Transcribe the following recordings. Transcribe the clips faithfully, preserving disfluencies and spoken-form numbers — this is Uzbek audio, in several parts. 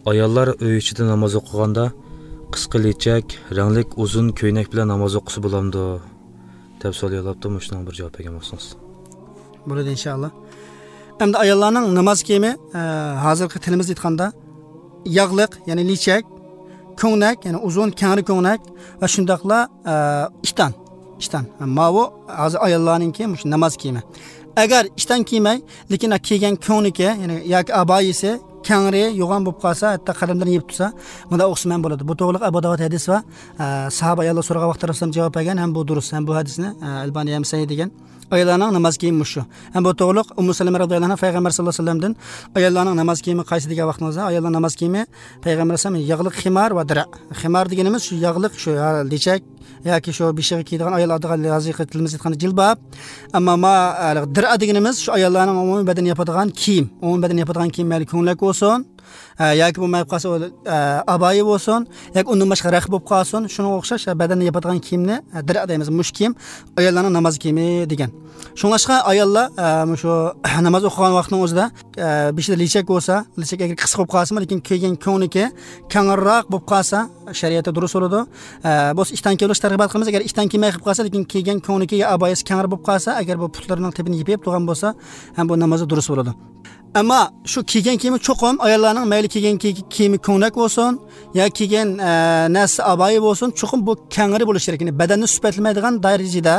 Ayollar uy ichida namoz o'qiganda qisqa lechak, ranglik uzun ko'ynak bilan namoz o'qisa bo'lamdi deb savol yo'llabdi. Shunga bir javob bergan bo'lsangiz. Bo'ladi inshaalloh. Endi ayollarning namoz kiyimi e, hozirgi tilimizda aytganda yog'liq, ya'ni lechak, ko'ngnak, ya'ni uzun kangri ko'ngnak va shundoqla e, ishton, ishton. Mavu hozir ayollarninki shu namoz kiyimi. Agar ishton kiymay, lekin kiygan ko'ngniki, ya'ni yoki abayisi kangri yo'g'on bo'lib qolsa, hatto qalamdan yeb tursa, bunda o'qisman bo'ladi. Bu to'g'riliq Abu Davud hadis va e, sahoba ayollar so'ragan vaqtda Rasululloh javob bergan, ham bu durust, ham bu hadisni e, Albaniy ham sahih degan. Ayollarning namoz kiyimi shu. Ham bu to'g'riliq Ummu Salama radhiyallohu anha payg'ambar sallallohu alayhi vasallamdan ayollarning namoz kiyimi qaysi degan vaqtimizda ayollar namoz kiyimi payg'ambar alayhisalom yog'liq ximar va dira. Ximar deganimiz shu yog'liq, shu lechak yoki shu beshig'i kiyadigan ayollarga hozirgi tilimizda aytganda jilbab. Ammo ma dira deganimiz shu ayollarning umumiy badan yapadigan kiyim, umumiy badan yapadigan kiyim mayli ko'ngilak bo'lsin, yoki bo'lmay qolsa abayi bo'lsin, yoki undan boshqa rax bo'lib qolsin, shunga o'xshash badanni yapadigan kiyimni dira deymiz. Mush kiyim ayollarning namoz kiyimi degan. Shunga ayollar shu namoz o'qigan vaqtning o'zida beshida lechak bo'lsa, lechak agar qisqa bo'lib qolsa, lekin kiygan ko'ngniki kangirroq bo'lib qolsa, shariatda durust bo'ladi. Bo'lsa ishdan kelish targ'ibot qilamiz. Agar ishdan kelmay qolib qolsa, lekin kiygan ko'ngniki yo abayisi kangir bo'lib qolsa, agar bu putlarining tepini yepib turgan bo'lsa, ham bu namozi durust bo'ladi. Ammo shu kiygan kiyimi cho'qim ayollarning mayli kiygan kiyimi ko'ngnak bo'lsin yo kiygan e, narsa abayi bo'lsin, cho'qim bu kangri bo'lishi kerak, ya'ni badanni sifatlamaydigan darajada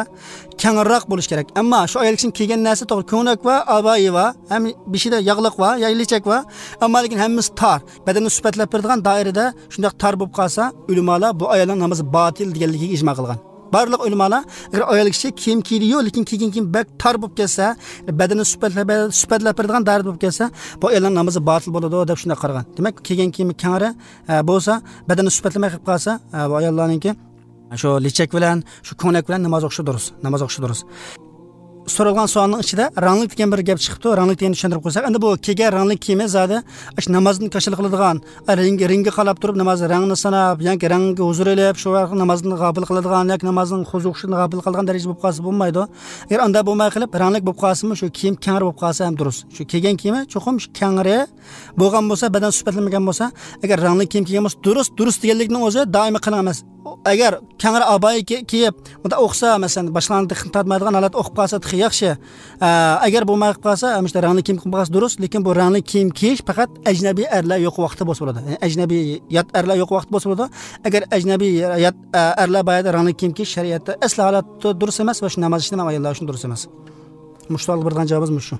kangriroq bo'lishi kerak. Ammo shu ayol kishining kiygan narsa to'g'ri ko'ngnak va abayi va ham beshida yog'liq va yo lechak va, ammo lekin hammasi tor, badanni sifatlab beradigan doirada shundoq tor bo'lib qolsa, ulamolar bu ayolning namozi botil deganligiga ijmo qilgan. Barliq ulamolar agar ayol kishi kiyim kiydi-yu, lekin kiygan kiyim bak tor bo'lib kelsa, badanni sifatlab sifatlab beradigan doirada bo'lib kelsa, bu ayolning namozi botil bo'ladi deb shunday qaragan. Demak, kiygan kiyimi kangri bo'lsa, badanni sifatlamay qilib qolsa, bu ayollarninki shu lechak bilan, shu ko'ngnak bilan namoz o'qishi durust, namoz o'qishi durust. So'ralgan savolning ichida ranglik degan bir gap chiqibdi. Ranglik deganni tushuntirib qo'ysak, endi bu kelgan ranglik kiyimi zodi shu namozni kashil qiladigan, ring ringga qalab turib namoz rangini sanab, yoki rangga huzur elib, shu vaqt namozni g'ofil qiladigan yoki namozning xuzuqishini g'ofil qiladigan daraja bo'lib qolsa bo'lmaydi. Agar unda bo'lmay qilib ranglik bo'lib qolsa, shu kiyim kangri bo'lib qolsa ham durust. Shu kelgan kiyimi cho'qim shu kangri bo'lgan bo'lsa, badan sifatlamagan bo'lsa, agar ranglik kiyim kiygan bo'lsa, durust, durust deganlikning o'zi doimiy qiling emas. Agar kangri abayi kiyib, unda o'qsa, masalan, boshlarni tortmaydigan holat o'qib qolsa yaxshi. Agar bo'lmay qolib qolsa, mana rangli kiyim kiyib qolsa durust, lekin bu rangli kiyim kiyish faqat ajnabiy erlar yo'q vaqtda bo'lsa bo'ladi. Ya'ni ajnabiy yot erlar yo'q vaqt bo'lsa bo'ladi. Agar ajnabiy yot erlar bayada rangli kiyim kiyish shariatda asli holatda durust emas va shu namoz ishini ham ayollar uchun durust emas. Mushtal birdan javobimiz shu.